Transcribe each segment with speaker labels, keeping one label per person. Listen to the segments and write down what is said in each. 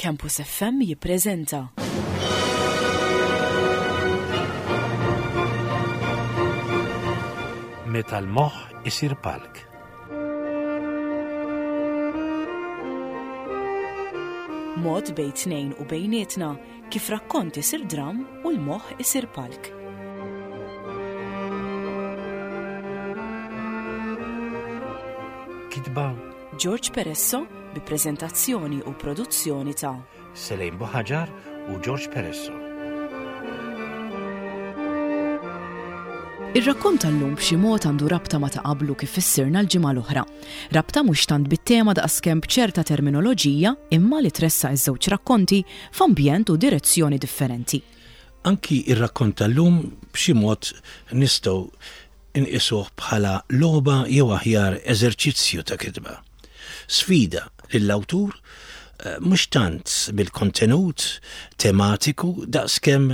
Speaker 1: Campus FM jippreżenta.
Speaker 2: Meta l-moħħ isir palk.
Speaker 1: Mod bejn tnejn u bejnietna kif rakkont isir dramm u l-moħħ isir palk.
Speaker 2: Kitba
Speaker 1: George Peresso bi preżentazzjoni u produzzjoni ta'
Speaker 2: Selejn Buħaġar u George Peresso.
Speaker 1: Ir-rakkont tal-lum b'xi mod għandu rabta ma' ta' qablu kif fissirna l-ġimgħa l-oħra. Rabta mhux tant bit-tema daqskemm b'ċerta terminoloġija imma li tressaq iż-żewġ rakkonti f'ambjent u direzzjoni differenti.
Speaker 2: Anki r-rakkont tal-lum b'xi mod nistgħu nqisuh bħala logħba jew aħjar eżerċizzju ta' kitba. Sfida lill-awtur mhux tant mill-kontenut tematiku daqskemm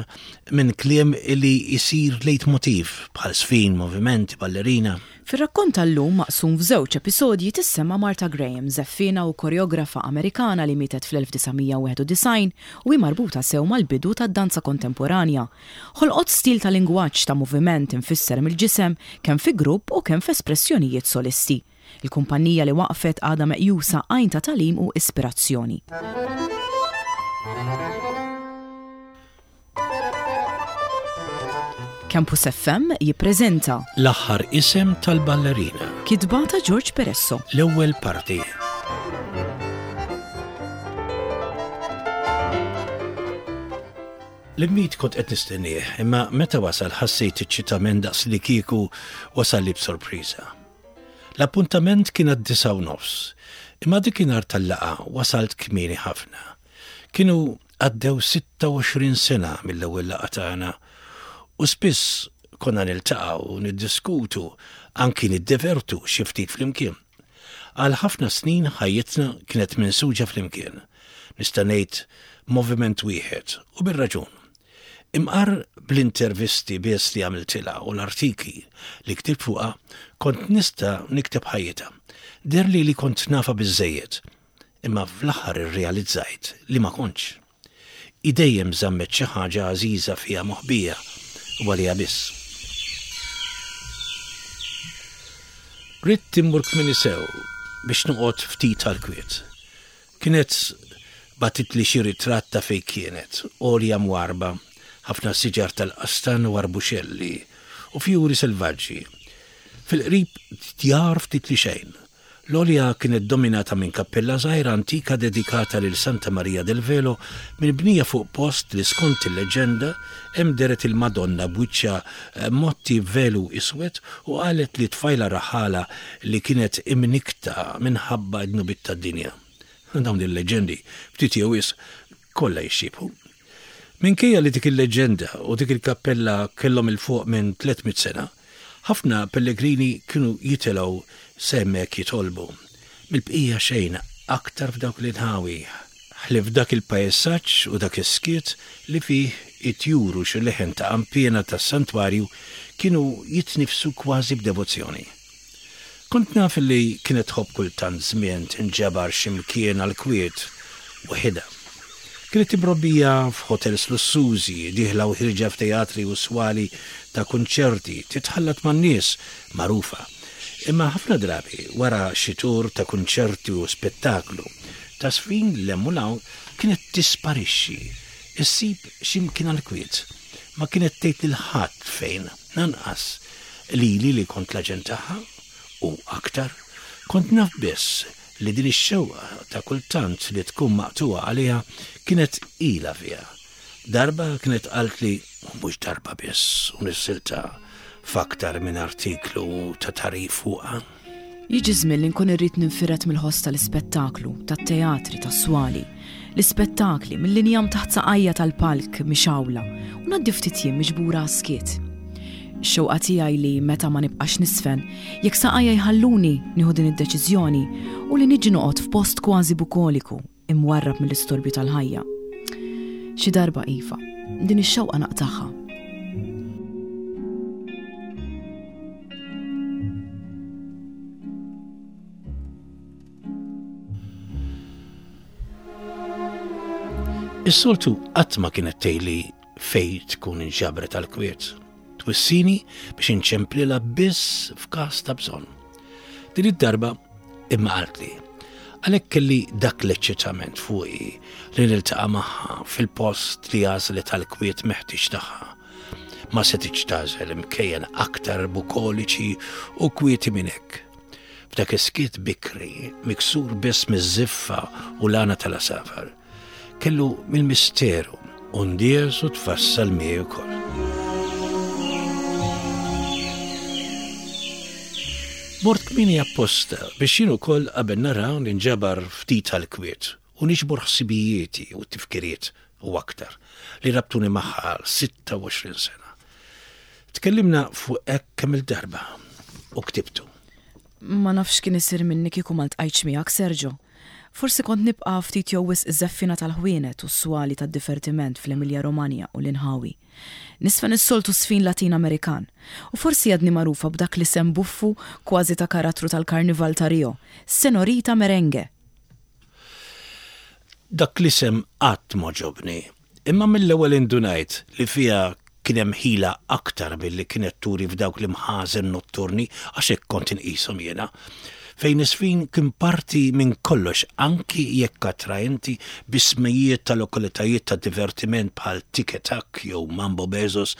Speaker 2: minn kliem li jsir leitmotiv bħal żfin, movimenti, ballerina.
Speaker 1: Fir-rakkont tal-lum maqsum f'żewġ episodji tissemma Martha Graham, żeffiena u koreografa Amerikana li mietet fl-1991 u hi marbuta sew mal-bidu tad-danza kontemporanja. Ħolqot stil ta' lingwaġġ ta' moviment imfisser mill-ġisem kemm fi grupp u kemm f'espressjonijiet solisti. Il-kumpannija li waqqfet għadha meqjusa għajn ta' tagħlim u ispirazzjoni. Campus FM jippreżenta.
Speaker 2: L-aħħar isem tal-ballerina.
Speaker 1: Kitba ta' George Peresso.
Speaker 2: L-ewwel parti. L-immit kont qed nistennieh, imma meta wasal ħassejt eċċitament daqs li kieku wasalli b'sorpriża. L-appuntament kien għad-disgħa u nofs, imma dikinhar tal-laqgħa wasalt kmieni ħafna. Kienu għaddew 26 sena mill-ewwel laqgħa tagħna u spiss konna niltaqgħu u niddiskutu, anki niddevertu xi ftit flimkien. Għal ħafna snin ħajjitna kienet minsuġa flimkien. Nista' ngħid moviment wieħed u bir-raġun. Imqar bl-intervisti biss li għamiltilha u l-artikli li ktibt fuqha kont nista' nikteb ħajjitha. Deherli li kont nafha biżżejjed Imma fl-aħħar irrealizzajt li ma kontx. Hi dejjem żammet xi ħaġa għażiża fiha moħbija u għaliha biss. Ridt immur kmieni sew biex noqgħod ftit għall-kwiet. Kienet bagħtitli xi ritratt ta' fejn kienet, għolja mwarrba, ħafna siġar tal-qastan u arbuxelli u fjuri selvaġġi. Fil-qrib djar ftit li xejn. L-għolja kienet dominata minn kappella żgħira antika dedikata lil Santa Maria del Velo minbnija fuq post li skont il-leġġenda hemm dehret il-Madonna b'wiċċha mgħotti b'velu iswed u qalet li tfajla raħħala li kienet imnikkta minħabba d-dnubiet tad-dinja. Dawn il-leġġendi ftit jew wisq kollha jixxiebħu. Minkejja li dik il-leġġenda u dik il-kappella kellhom 'il fuq minn 300 sena, ħafna pellegrini kienu jitilgħu s'hemmhekk jitolbu. Mill-bqija xejn aktar f'dawk l-inħawi, ħlief dak il-pajsaġġ u dak is-skiet li fih it-tjur u xi leħen ta' qanpiena tas-santwarju kienu jitniffsu kważi b'devozzjoni. Kont naf li kienet tħobb kultant żmien tinġabar xi mkien għall-kwiet, waħidha. Kienet imrobbija f'ħotels lussużi, dieħla u ħierġa f'teatri u swali ta' kunċerti, titħallat man-nies, magħrufa. Imma ħafna drabi, wara xi tur ta' kunċerti u spettaklu, ta' żfin 'l hemm u 'l hawn, kienet tisparixxi, issib xi mkien għall-kwiet. Ma kienet tgħid lil ħadd fejn, lanqas lili li kont l-aġent tagħha, u aktar, kont naf biss li din ix-xewqa ta' kultant li tkun maqtugħa għaliha kienet ilha fiha. Darba kienet qaltli, u mhux darba biss, u nissilta f'aktar minn artiklu ta' tagħrif fuqha.
Speaker 1: Jiġi żmien li nkun irrid ninfired mill-ħoss tal-ispettaklu, tat-teatri, tas-swali. L-ispettakli, mill-injam taħt saqajja tal-palk mixgħula, u ngħaddi ftit jiem miġbura għas-skiet. Ix-xewqa tiegħi li meta ma nibqax nisfen, jekk saqajja jħalluni nieħu din id-deċiżjoni, hu li niġi noqgħod f'post kważi bukoliku, imwarrab mill-istorbju tal-ħajja. Xi darba iva, din ix-xewqa naqtagħha.
Speaker 2: Is-soltu qatt ma kienet tgħidli fejn tkun inġabret għall-kwiet. Twissini biex inċemplilha biss f'każ ta' bżonn. Din id-darba imma qaltli. Għalhekk kelli dak l-eċċitament fuqi li niltaqa' magħha fil-post li għażlet għall-kwiet meħtieġ tagħha. Ma setgħitx tagħżel imkejjen aktar bukoliċi u kwieti minn hekk. F'dak is-skiet bikri, miksur biss miż-żiffa u l-għana tal-għasafar, kellu mill-misteru u ndies u tfassal miegħi wkoll. Mort kmieni apposta biex jien ukoll qabel nara ninġabar ftit għall-kwiet u niġbor ħsibijieti u t-tifkiriet u aktar li rabtuni magħha għal 26 sena. Tkellimna fuq hekk kemm-il darba u ktibtu.
Speaker 1: Ma nafx x'kien isir minni kieku ma ltqajtx miegħek, Sergio. Forsi kont nibqa' ftit jew wisq żeffina tal-ħwienet u s-swali tad-divertiment fl-Emilia Romagna u l-inħawi. Nisfen is-soltu żfin Latin Amerikan. U forsi għadni magħrufa b'dak l-isem buffu kważi ta' karattru tal-Karnival ta' Rio, Senorita Merengue!
Speaker 2: Dak l-isem qatt m'għoġobni. Imma mill-ewwel indunajt li fiha kien hemm ħila aktar milli kienet turi f'dawk l-imħażen notturni, għax hekk kont inqishom jiena, fejn iż-żfin kien parti minn kollox anki jekk attraenti b'ismijiet ta' lokalitajiet ta' divertiment bħal Tic et Tac jew Mambo Besos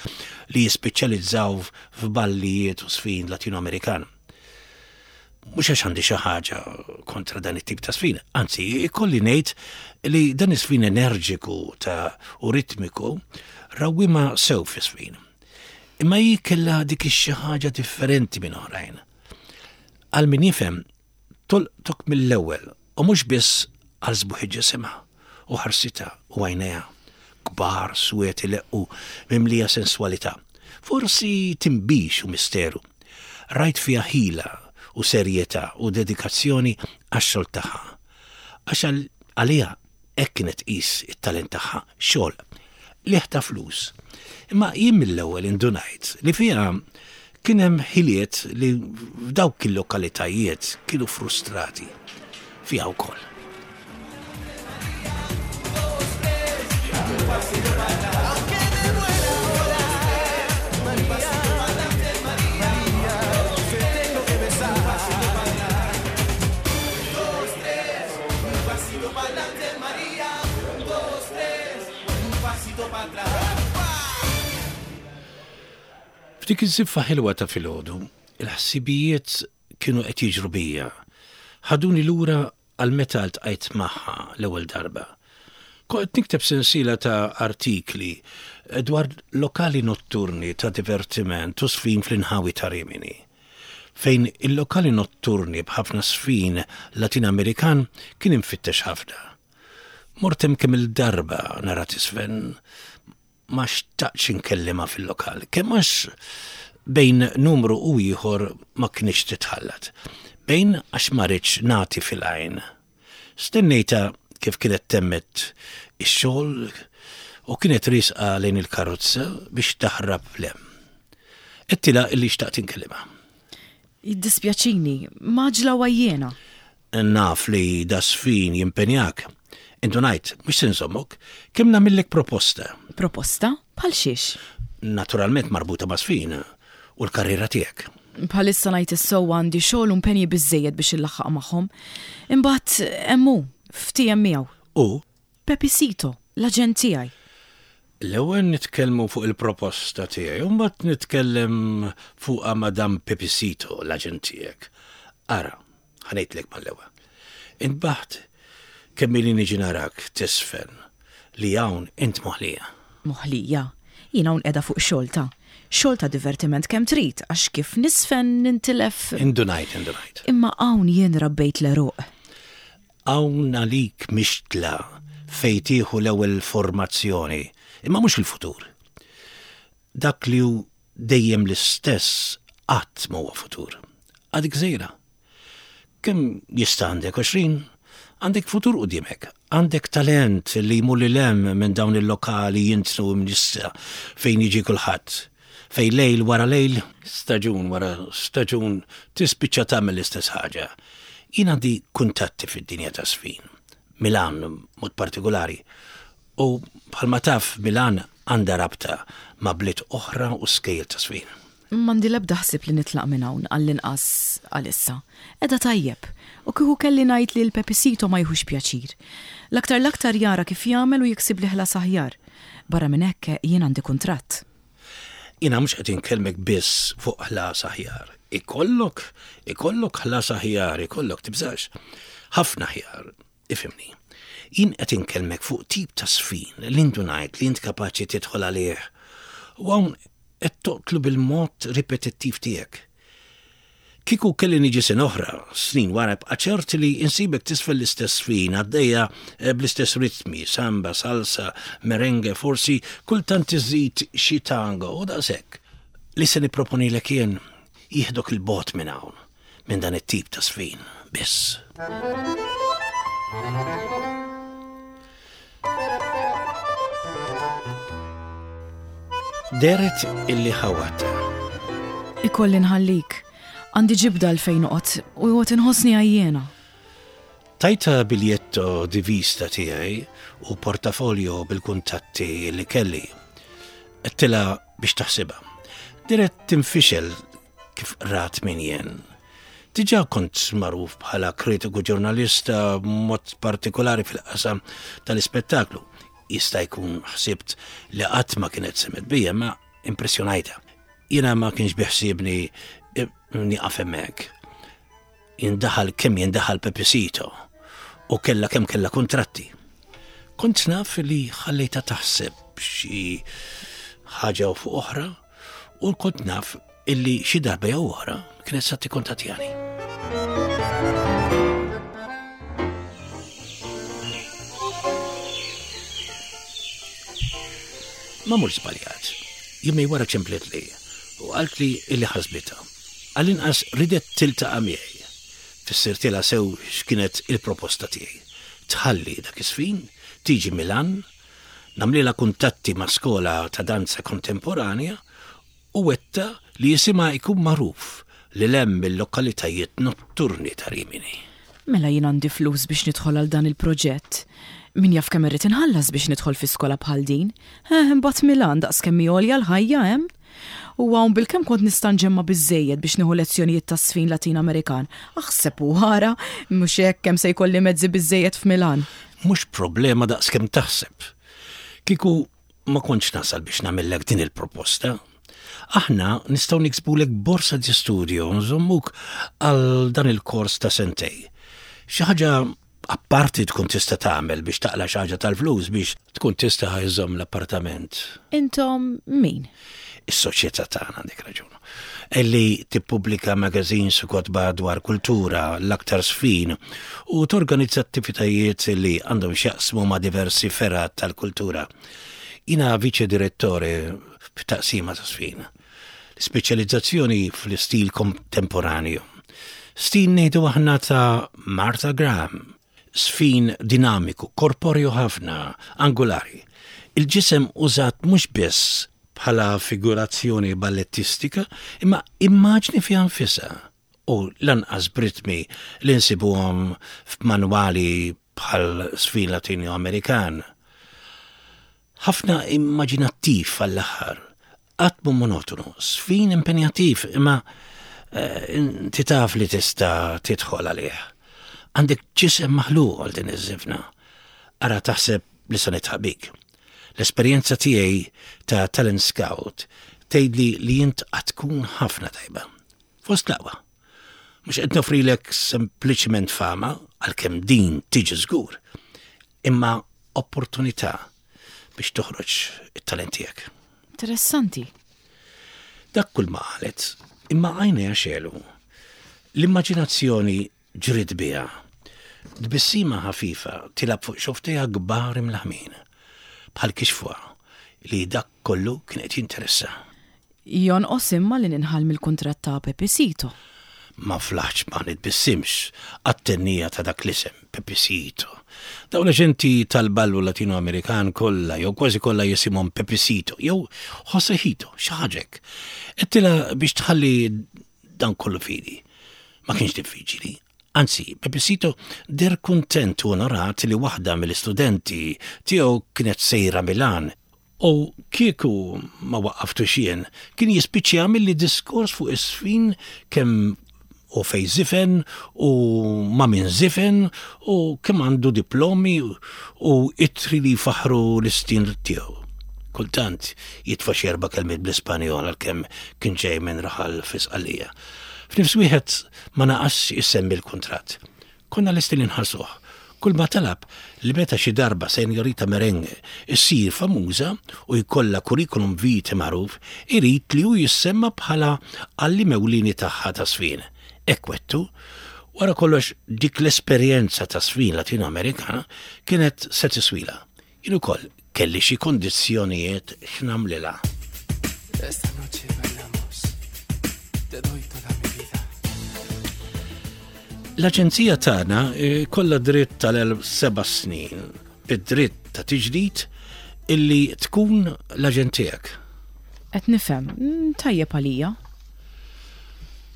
Speaker 2: li jispeċjalizzaw f'ballijiet u żfin Latino-Amerikan. Mhux għax għandi xi ħaġa kontra dan it-tip ta' sfin, anzi, ikolli ngħid li dan is-sfin enerġiku ta' u ritmiku rawwima sew fi sfin. Imma hi kellha dik ix-xi ħaġa differenti minn oħrajn. Għal min jifhem, tolqtok mill-ewwel U mhux biss għal sbuħ ġisimha u ħarsitha u għajnejha, kbar, swied ileqqu, mimlija senswalità. Forsi tinbix u misteru. Rajt fiha ħila u serjetà u dedikazzjoni għax-xogħol tagħha. Għax għaliha hekk kienet tqis it-talent tagħha, xogħol. Qligħ ta' flus. Imma jien mill-ewwel indunajt li fiha kien hemm ħiliet li f'dawk il-lokalitajiet kienu frustrati fiha wkoll. F'dik iż-żiffa ħelwa ta' filgħodu, il-ħsibijiet kienu qed jiġru bija. Ħaduni lura għal meta ltqajt magħha l-ewwel darba. Kont qed nikteb sensiela ta' artikli dwar lokali notturni ta' divertiment u żfin fl-inħawi ta' Rimini. Fejn il-lokali notturni b'ħafna żfin Latin Amerikan kien imfittex ħafna. Mort hemm kemm-il darba nara tiżfen, ma xtaqtx inkellimha fil-lokal, kemm għax bejn numru u ieħor ma kinitx titħallat, bejn għax ma ridtx nagħti fil-għajn. Stennejtha kif kienet temmet ix-xogħol u kienet riesqa lejn il-karozza biex taħrab 'l hemm. Għedtilha illi xtaqt inkellimha.
Speaker 1: Jiddispjaċini, mgħaġġla u għajjiena.
Speaker 2: Naf li das-sfin jimpenjak. Indunajt, mhux se nżommok, kemm nagħmillek proposta.
Speaker 1: Proposta? Bħal xiex?
Speaker 2: Naturalment marbuta ma' sfin u l-karriera tiegħek.
Speaker 1: Bħalissa ngħid is-sewwa għandi xogħol u impenji biżżejjed biex illaħħaq magħhom. Imbagħad hemm hu, ftiehem miegħu.
Speaker 2: U?
Speaker 1: Pepisito, l-aġent tiegħi.
Speaker 2: L-ewwel nitkellmu fuq il-proposta tiegħi u mbagħad nitkellem fuqha ma' dan Pepisito, l-aġent tiegħek. Ara, ħa ngħidlek mal-ewwel. Intbaħt kemm ili niġi narak tiżfen li hawn int moħlija.
Speaker 1: Moħlija? Jien hawn qiegħda fuq xogħol ta'. Xogħol ta' divertiment kemm trid għax kif niżfen nintilef.
Speaker 2: Indunajt, indunajt.
Speaker 1: Imma hawn jien rabbejt l-għeruq.
Speaker 2: Hawn għalik mixtla fejn tieħu l-ewwel formazzjoni, imma mhux il-futur. Dak li hu dejjem l-istess qatt ma huwa futur. Għadek żgħira. Kemm jista' għandek 20? Għandek futur quddiemek. Għandek talent li jmur lil hemm minn dawn il-lokali jintnu imnissa fejn jiġi kulħadd. Fejn lejl wara lejl, staġun wara staġun tispiċċa tagħmel l-istess ħaġa. Jien għandi kuntatti fid-dinja taż-żfin, Milan b'mod partikulari. U bħalma taf Milan għandha rabta ma' bliet oħra u skejjel ta' żfin.
Speaker 1: M'għandi l-ebda ħsieb li nitlaq minn hawn, għall-inqas għalissa. Qiegħda tajjeb. U kieku kelli ngħid li l-Pepisito ma jiħux pjaċir. L-aktar l-aktar jara kif jagħmel u jiksibli ħlas aħjar. Barra minn hekk, jien għandi kuntratt.
Speaker 2: Jiena mhux qed inkellmek biss fuq ħlas aħjar. Ikollok, ikollok ħlas aħjar, ikollok, tibżax. Ħafna aħjar. Ifhimni. Jien qed inkellmek fuq tip ta' żfin li ndunajt li int kapaċi tidħol għalih u hawn qed toqtlu bil-mod ripetittiv tiegħek. Kieku kelli niġi sena oħra, snin wara ibqa' ċert li insibek tisfel l-istess żfin għaddejja eh, bl-istess ritmi, samba, salsa, merengue, forsi kultant iżid xi tango u daqshekk. Li se nipproponilek jien jieħdok il-bogħod minn hawn. minn dan it-tip ta' sfin biss. Deret illi ħawata.
Speaker 1: Ikolli nħallik. Għandi ġibda l fejn noqgħod u għot inħossni għajjena.
Speaker 2: Tajta biljetto di vista tiegħi u portafolio bil-kuntatti li kelli. Għedtilha biex taħsibha. Deret tinfixel kif rat min jien. Diġà kont magħruf bħala kritiku ġurnalista b'mod partikolari fil-qasam tal-ispettaklu. Jista' jkun ħsibt li qatt ma kienet semgħet bija, ma impressjonajtha. Jiena ma kienx biħsiebni eh, nieqaf hemmhekk. Jindaħal kemm jindaħal Pepisito u kellha kemm kellha kuntratti. Kont naf li ħallejtha taħseb xi ħaġa u fuq oħra u kont naf illi xi darba jew oħra kienet sa tikkuntattjani. Ma mhux żbaljat. Jumej wara ċemplet li u qalt li illi ħasbitha. Għall-inqas ridet tiltaqa' miegħi. Fissirtilha sew x'kienet il-proposta tiegħi. Tħalli dak iż-żfin, tiġi Milan, nagħmlilha kuntatti ma' skola ta' danza kontemporanja u wegħdtha li isimha jkun magħruf lil hemm mill-lokalitajiet notturni ta' Rimini.
Speaker 1: Mela jien għandi flus biex nidħol għal dan il-proġett. Min jaf kemm irrid inħallas biex nidħol fi skola bħal din. Eh, imbagħad Milan daqs kemm hi għolja l-ħajja hemm. U hawn bilkemm kont nista' nġemma' biżżejjed biex nieħu lezzjonijiet taż-żfin Latin Amerikan. Aħseb u ara, mhux hekk kemm se jkolli mezzi biżżejjed f'Milan.
Speaker 2: Mhux problema daqs kemm taħseb. Kieku ma kontx nasal biex nagħmillek din il-proposta. Aħna nistgħu niksbulek borsa di studio nżommuk għal dan il-kors ta' sentej. Xi ħaġa Apparti tkun tista' tagħmel biex taqla' xi ħaġa tal-flus biex tkun tista' iżżomm l-appartament.
Speaker 1: Intom min?
Speaker 2: Is-soċjetà tagħna għandek raġun. Illi tippubblika magazines u kotba dwar kultura, l-aktar żfin, u torganizza attivitajiet li għandhom x'jaqsmu ma' diversi fergħat tal-kultura. Jiena viċe direttore f'taqsima ta' żfin. Speċjalizzazzjoni fl-istil kontemporanju. Stil ngħidu aħna ta' Martha Graham. Sfin dinamiku, korporju ħafna, angulari. Il-ġisem użat mhux biss bħala figurazzjoni ballettistika, imma immaġni fiha nfisha u lanqas b'ritmi li nsibuhom f'manwali bħal sfin Latino-Amerikan. Ħafna immaġinattiv għall-aħħar, qatt mhu monotonu, sfin impenjattiv imma eh, inti taf li tista' tidħol għalih. Għandek ġisem maħluq għal din iż-żifna. Ara taħseb li se nitħaq bik. L-esperjenza tiegħi ta' talent scout tgħidli li int qatt tkun ħafna tajba. Fost l-aqwa. Mhux qed nofrilek sempliċement fama, għalkemm din tiġi żgur, imma opportunità biex toħroġ it-talent tiegħek.
Speaker 1: Interessanti.
Speaker 2: Dak kull ma qalet, imma għajnejha xegħlu. L-immaġinazzjoni ġriet biha. Tbissima ħafifa tilgħab fuq xofftejha kbar imlaħmin, bħal kixfuha li dak kollu kien qed jinteressa.
Speaker 1: Jonqos imma li ninħall mill-kuntratt ta' Pepisito.
Speaker 2: Ma flaħtx ma nitbissimx għat-tennija ta' dak l-isem, Pepisito. Dawn l-aġenti tal-ballu Latino-Amerikan kollha jew kważi kollha jisimhom Pepisito jew Josejito, xi ħaġa hekk. Għedtilha biex tħalli dan kollu f'idi. Ma kienx diffiċili. Anzi, Pepesito deher kuntent u onorat li waħda mill-istudenti tiegħu kienet sejra Milan u kieku ma waqqaftux jien, kien jispiċċa jagħmilli diskors fuq iż-żfin kemm u fejn żifen u ma' min żifen u kemm għandu diplomi u ittri li jfaħħru l-istil tiegħu. Kultant jitfa' xi erba' kelmiet bl-Ispanjol għalkemm kien ġej minn raħal fi Sqallija. F'nifs wieħed ma naqasx isemmi l-kuntratt. Konna lesti li nħallsuh. Kulma talab li meta xi darba Señorita Merengue ssir famuża u jkollha curriculum vitae magħruf, irid li hu jissemma bħala għalliem ewlieni tagħha ta' żfin. Hekk wegħdtu. Wara kollox dik l-esperjenza ta' żfin Latino-Amerikana kienet se tiswilha. Jien ukoll kelli xi kundizzjonijiet x'nagħmlilha.
Speaker 3: Esta noche bailamos. Te doy toda mi vida.
Speaker 2: L-aġenzija tagħna eh, kollha dritt tal-seba' snin bid-dritt ta' tiġdid illi tkun l-aġent tiegħek.
Speaker 1: Qed nifhem, mm, tajjeb għalija.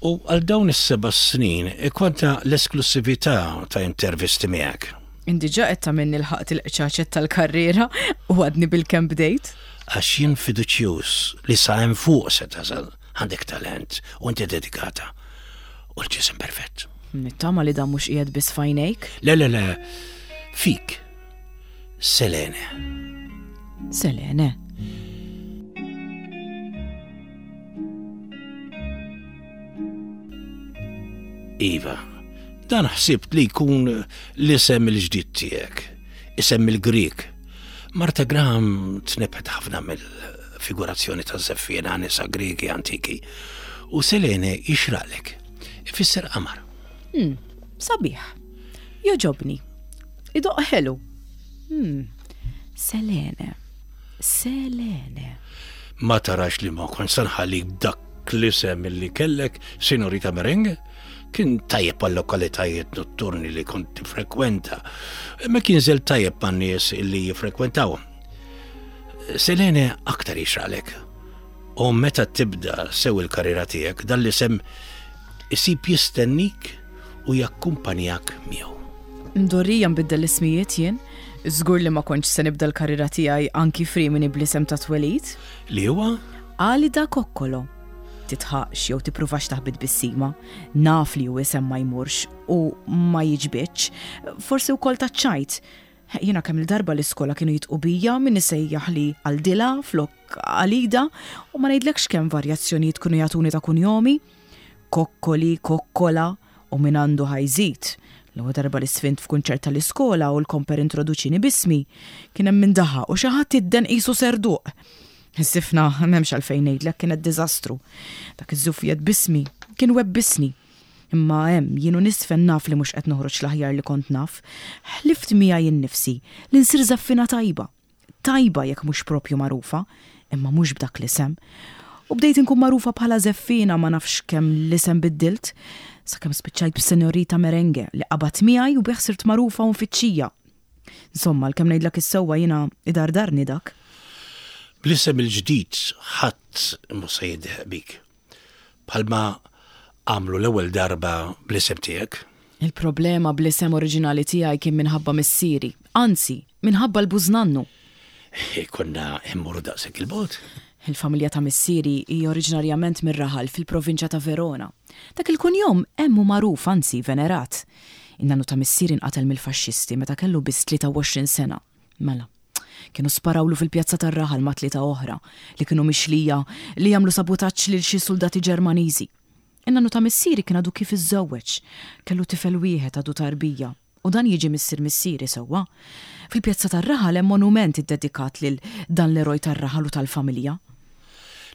Speaker 2: U għal dawn is-seba' snin ikollna l-esklussività ta' intervisti miegħek.
Speaker 1: Int diġà qed tagħmilni lħaqt il-qċaċet tal-karriera u għadni bilkemm bdejt.
Speaker 2: Għax jien fiduċjuż li sa hemm fuq se tasal, għandek talent u inti dedikata. U l-ġisem perfett.
Speaker 1: Nittama li dan mhux qiegħed biss f'għajnejk.
Speaker 2: Le, le, le, fik. Selene.
Speaker 1: Selene.
Speaker 2: Iva, dan ħsibt li jkun l-isem il-ġdid tiegħek, isem il-Grieg. Marta Graham tnebħet ħafna mill-figurazzjoni ta' żeffiena nisa Griegi antiki u Selene jixraqlek. Ifisser qamar.
Speaker 1: Hmm, sabiħ. Joġobni. Idoq ħelu. Hmm, Selene. Selene.
Speaker 2: Ma tarax li ma kontx se nħallik b'dak l-isem li kellek, Signorita Merengue? Kien tajjeb għal lokalitajiet notturni li kont tifrekwenta, imma kien żel tajjeb man-nies li jiffrekwentawhom. Selene aktar jixraqlek. U meta tibda sew il-karriera tiegħek, dan l-isem isib jistennik u jakkumpanjak miegħu.
Speaker 1: Mdorrija nbiddel l-ismijiet jien. Żgur li ma kontx se nibda l-karriera tiegħi anki f'Rimini bl-isem ta' twelid.
Speaker 2: Li huwa?
Speaker 1: Alida Kokkolo. Titħaqx jew tippruvax taħbi tbissima. Naf li hu isem ma jmurx u ma jiġbidx. Forsi wkoll taċ-ċajt. Jiena kemm-il darba l-iskola kienu jidqu bija min isejjaħli Aldila flok Alida u ma ngħidlekx kemm varjazzjonijiet kienu jagħtuni ta' kunjomi. Kokkoli, Kokkola u min għandu ħa jżid. L-ewwel darba li sfint f'kunċert tal-iskola u l-komper introduċini b'ismi, kien hemm min daħaq u xi ħadd idden qisu serduq. Is-sifna m'hemmx għalfejn ngħidlek kienet diżastru. Dak iż-żufjet b'ismi kien webbisni. Imma hemm jien u nisfen naf li mhux qed noħroġ l-aħjar li kont naf. Ħlift miegħi nnifsi li nsir żaffina tajba. Tajba jekk mhux proprju magħrufa, imma mhux b'dak l-isem. U bdejt inkun magħrufa bħala żeffiena ma nafx kemm l-isem biddilt, sakemm spiċċajt b'Senorita Merengue li qabad miegħi u bih sirt magħrufa u mfittxija. Insomma, għalkemm ngħidlek is-sewwa jiena idardarni dak.
Speaker 2: Bl-isem il-ġdid ħadd mhu se jidħaq bik. Bħalma għamlu l-ewwel darba bl-isem tiegħek.
Speaker 1: Il-problema bl-isem oriġinali tiegħi kien minħabba missieri, anzi, minħabba l-bużnannu.
Speaker 2: Konna immorru daqshekk il-bogħod?
Speaker 1: Il-familja ta' missieri hi oriġinarjament mir-raħal fil-provinċja ta' Verona. Dak il-kunjom hemm hu magħruf, anzi venerat. In-nannu ta' missieri nqatel mill-Faxxisti meta kellu biss 23 sena. Mela, kienu sparawlu fil-pjazza tar-raħal ma' tlieta oħra li kienu mixlija li għamlu sabutaġġ lil xi suldati Ġermaniżi. In-nannu ta' missieri kien għadu kif iżżewweġ. Kellu tifel wieħed għadu tarbija. U dan jiġi missier missieri sewwa. Fil-pjazza tar-raħal hemm monument iddedikat lil dan l-eroj tar-raħal u tal-familja.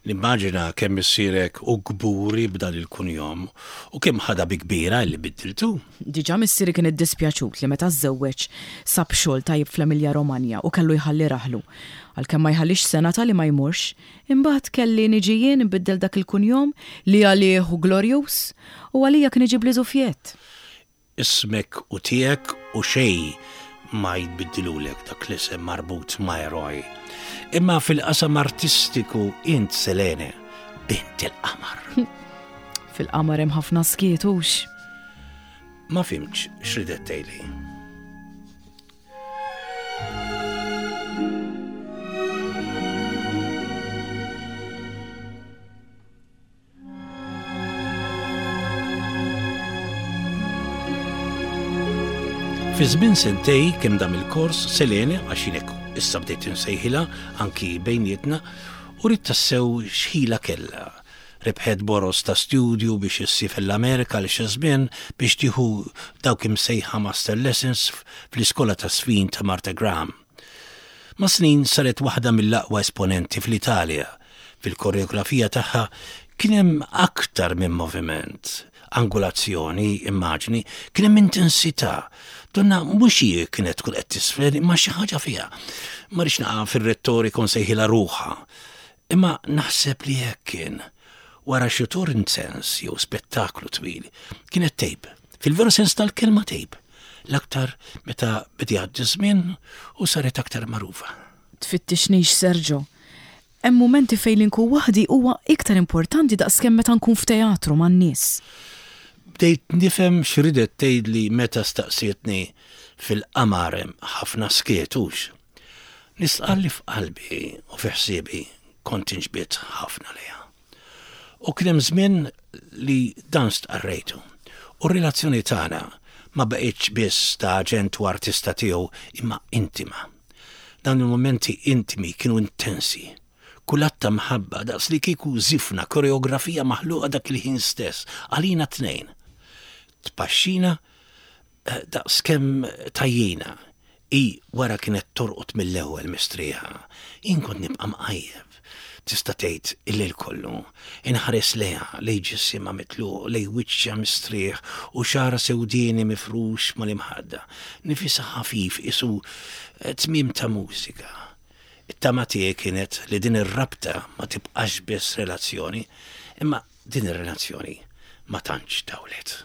Speaker 2: Nimmaġina kemm missierek hu kburi b'dan il-kunjom u kemm ħadha bi kbira li biddiltu.
Speaker 1: Diġà missieri kien iddispjaċut li meta żżewweġ sab xogħol tajjeb fl-Emilia Romagna u kellu jħalli raħlu. Għalkemm ma jħallix sena ta' li ma jmurx. Imbagħad kelli niġi jien nbiddel dak il-kunjom li għalih hu glorjuż u għalija kien iġibli żufjett.
Speaker 2: Ismek hu tiegħek u xejn ma jbiddilulek dak l-isem marbut ma' eroj. Imma fil-qasam artistiku int Selene, bint il-qamar.
Speaker 1: Fil-qamar hemm ħafna skiet hux?
Speaker 2: Ma fhimtx x'ridet tgħidli. Fi żmien sentej kemm dam il-kors, Selene, għax jien hekk issa bdejt insejħilha anki bejnietna, uriet tassew x'ħila kellha. Rebħet boroż ta' studju biex issiefer l-Amerika għal xi żmien biex tieħu dawk imsejħa master lessons fl-iskola taż-żfin ta' Martha Graham. Mas-snin saret waħda mill-aqwa esponenti fl-Italja. Fil-koreografija tagħha kien hemm aktar minn moviment, angulazzjoni, immaġni, kien hemm intensità. Donna mhux hi kienet tkun qed tisfen imma xi ħaġa fiha. Ma rridx naqa' fir-rettorika u nsejħilha ruħha. Imma naħseb li hekk kien. Wara xi tur intens jew spettaklu twil, kienet tgħib. Fil-veru sens tal-kelma tgħib. L-aktar meta beda jgħaddi ż-żmien u saret aktar magħrufa.
Speaker 1: Tfittixnix Sergio. Hemm mumenti fejn li nkun waħdi huwa iktar importanti daqskemm meta nkun f'teatru man-nies.
Speaker 2: Bdejt nifhem x'ridet tgħidli meta staqsietni fil-qamar hemm ħafna skiet hux. Nistqarr li f'qalbi u fi ħsiebi kont inġbidt ħafna lejha. U kien hemm żmien li dan stqarrejtu. U r-relazzjoni tagħna ma baqgħetx biss ta' aġent u artista tiegħu imma intima. Dawn il-mumenti intimi kienu intensi. Kull att ta' mħabba daqs li kieku żifna koreografija maħluqa dak il-ħin stess għalina t-tnejn. Tpaxxina Daqs kemm tgħajjina. Hi wara kienet torqod mill-ewwel mistrieħa. Jien kont nibqa' mqajjeb, tista' tgħid il-lejl kollu, inħares lejha, lejn ġisimha mitluq, lejn wiċċha mistrieħ u xagħarha sewdieni mifrux mal-imħadda. Nifisha ħafif qisu tmiem ta' mużika. It-tama tiegħi kienet li din ir-rabta ma tibqax biss relazzjoni, imma din ir-relazzjoni ma tantx tawlet.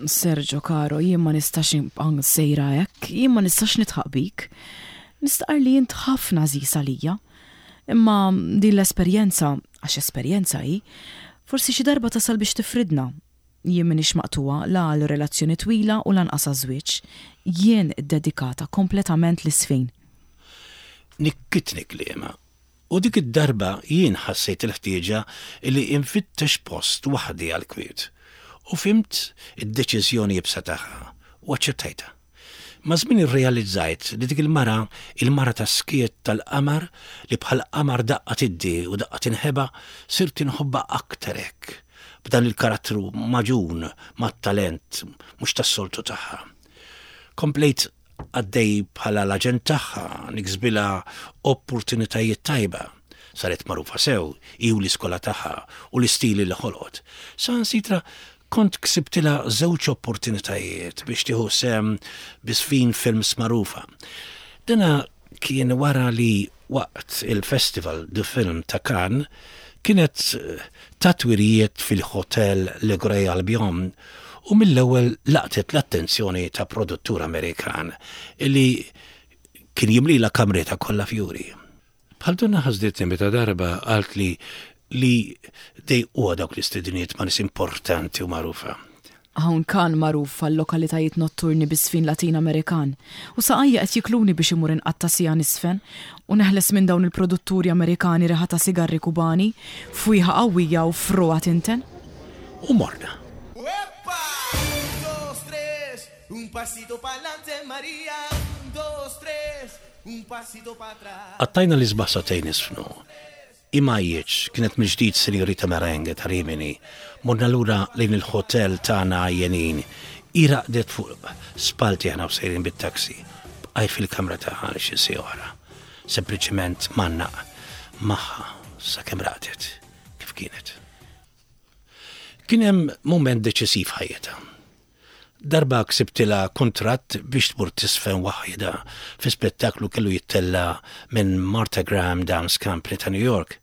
Speaker 1: Sergio caro, jien ma nistax nibqa' sejra hekk, jien ma nistax nidħaq bik. Nistqarr li int ħafna għażiż għalija. Imma din l-esperjenza, għax esperjenza hi, forsi xi darba tasal biex tifridna. Jien m'iniex maqtugħa la għal relazzjoni twila u lanqas għaż-żwieġ. Jien iddedikata kompletament lis-sfin.
Speaker 2: Nikkitni kliemha U dik id-darba jien ħassejt il-ħtieġa li infittex post waħdi għall-kwiet. U fhimt id-deċiżjoni iebsa tagħha u aċċettajtha. Maż-żmien irrealizzajt li dik il-mara, il-mara tas-skiet tal-qamar li bħal qamar daqqa tiddi u daqqa tinħeba, sirt inħobbha aktar hekk, b'dan il-karattru magħġun mat-talent mhux tas-soltu tagħha. Komplejt Għaddej bħala l-aġent tagħha, niksbilha opportunitajiet tajba. Saret magħrufa sew, hi u l-iskola tagħha u l-istili li ħolqot. Saħansitra kont ksibtilha żewġ opportunitajiet biex tieħu sehem bi żfin films magħrufa. Dana kien wara li waqt il-Festival du Film ta' Cannes kienet tat wirjiet fil-Hotel Le Grey Albion u mill-ewwel laqtet l-attenzjoni ta' produttur Amerikan li kien jimlilha kamritha kollha fjuri. Bħal donnha ħasditni meta darba qaltli li dejquha dawk l-istediniet ma' nies importanti u magħrufa.
Speaker 1: Hawn Cannes magħruf għal-lokalitajiet notturni biż-żfin Latin Amerikan, u saqajja qed jikluni biex immur inqatta' siegħa niżfen u neħles minn dawn il-produtturi Amerikani riħa ta' sigarri Kubani, fwieħa qawwija u frugħa tinten.
Speaker 2: U morna. Qattajna l-isbaħ sagħtejn niżfnu. Hi m'għajjitx, kienet mill-ġdid Sinjorita Merengue ta' Rimini. Morna lura lejn il-ħotel tagħna għajjenin. Hi raqdet fuq spallti aħna u sejrin bit-taxi. Bqajt fil-kamra tagħha għal xi siegħa oħra. Sempliċement mgħannaq magħha sakemm raqdet kif kienet. Kien hemm mument deċisiv f'ħajjitha. Darba ksibtilha kuntratt biex tmur tiżfen waħidha fi spettaklu kellu jittella' minn Martha Graham Dance Company ta' New York.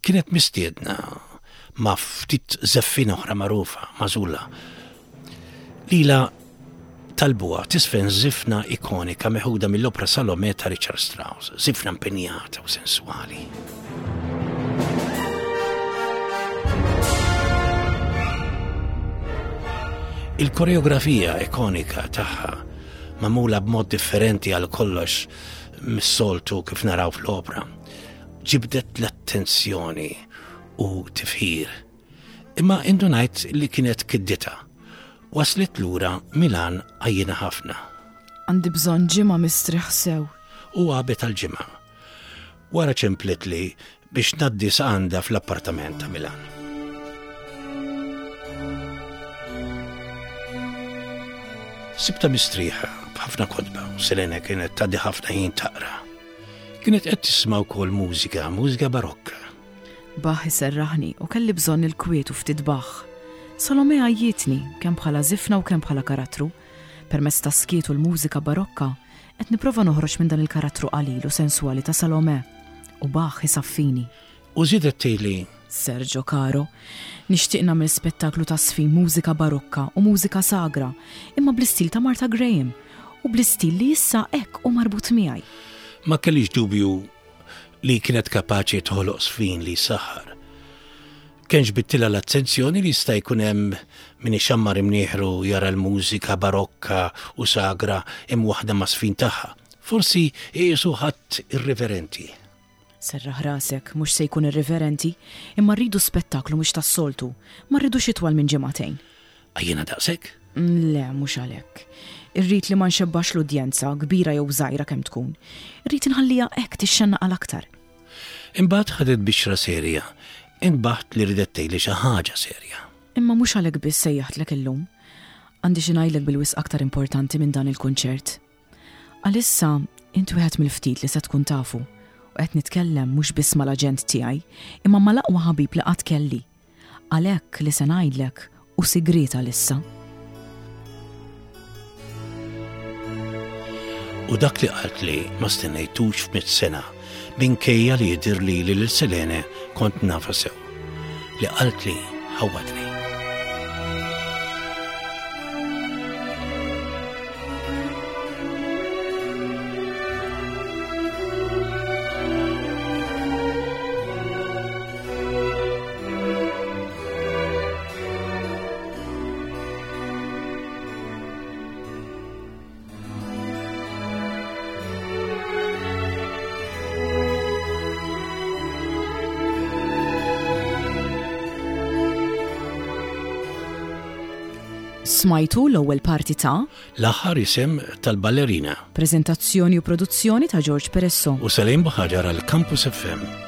Speaker 2: Kienet mistiedna ma' ftit żeffiena oħra magħrufa, magħżula. Lilha talbuha tiżfen żifna ikonika meħuda mill-opra Salomè ta' Richard Strauss, żifna impenjata u senswali. Il-koreografija ikonika tagħha magħmula b'mod differenti għal kollox mis-soltu kif naraw fl-opra, ġibdet l-attenzjoni u tifħir. Imma indunajt li kienet kiddita. Waslet lura Milan għajjina ħafna.
Speaker 1: Għandi bżonn ġimgħa mistrieħ sew.
Speaker 2: U għabet għal ġimgħa. Wara ċemplitli biex ngħaddi sa għandha fl-appartament ta' Milan. Sibta mistrieħa b'ħafna kotba, Selene kienet tgħaddi ħafna ħin taqra. Kienet qed tisma' wkoll mużika, mużika barokka.
Speaker 1: Bach iserraħni u kelli bżonn il-kwiet u ftit Bach. Salome għajjietni, kemm bħala żifna u kemm bħala karattru. Permezz tas-skiet u l-mużika barokka, qed nipprova noħroġ minn dan il-karattru qalil u senswali ta' Salome. U Bach isaffini.
Speaker 2: U żiedet tgħidli.
Speaker 1: Sergio caro, nixtieq nagħmel spettaklu ta' żfin mużika barokka u mużika sagra, imma bl-istil ta' Martha Graham u bl-istil li issa hekk hu marbut miegħi.
Speaker 2: Ma kellix dubju li kienet kapaċi toħloq żfin li jsaħħar. Kemm ġbidtilha l-attenzjoni li jista' jkun hemm min ixammar imnieħru jara l-mużika barokka u sagra imwaħħda mas-żfin tagħha. Forsi iqisu ħadd irriverenti.
Speaker 1: Serraħ rasek, mhux se jkun irriverenti, imma rridu spettaklu mhux tas-soltu. Ma rridux itwal minn ġimagħtejn.
Speaker 2: Għajjiena daqshekk?
Speaker 1: Le, mhux għalhekk. Irrid li ma nxebbax l-udjenza, kbira jew żgħira kemm tkun. Irrid inħalliha hekk tixxennaq għal aktar.
Speaker 2: Imbagħad ħadet bixra serja. Intbaħt li ridet tgħidli xi ħaġa serja.
Speaker 1: Imma mhux għalhekk biss sejjaħtlek illum. Għandi xi ngħidlek bil-wisq aktar importanti minn dan il-kunċert. Għalissa, int wieħed mill-ftit li se tkun tafu, u qed nitkellem mhux biss mal-aġent tiegħi, imma mal-aqwa ħabib li qatt kelli. Għalhekk li se ngħidlek hu sigriet għalissa.
Speaker 2: U dak li qaltli ma stennejtux f'mitt sena, minkejja li jidhirli li lil Selene kont nafha sew. Li qaltli ħawwadni.
Speaker 1: Smajtu l-ewwel parti ta'
Speaker 2: L-aħħar isem tal-ballerina.
Speaker 1: Preżentazzjoni u produzzjoni ta' George Peresso.
Speaker 2: U Salim Buħaġar għal Campus FM.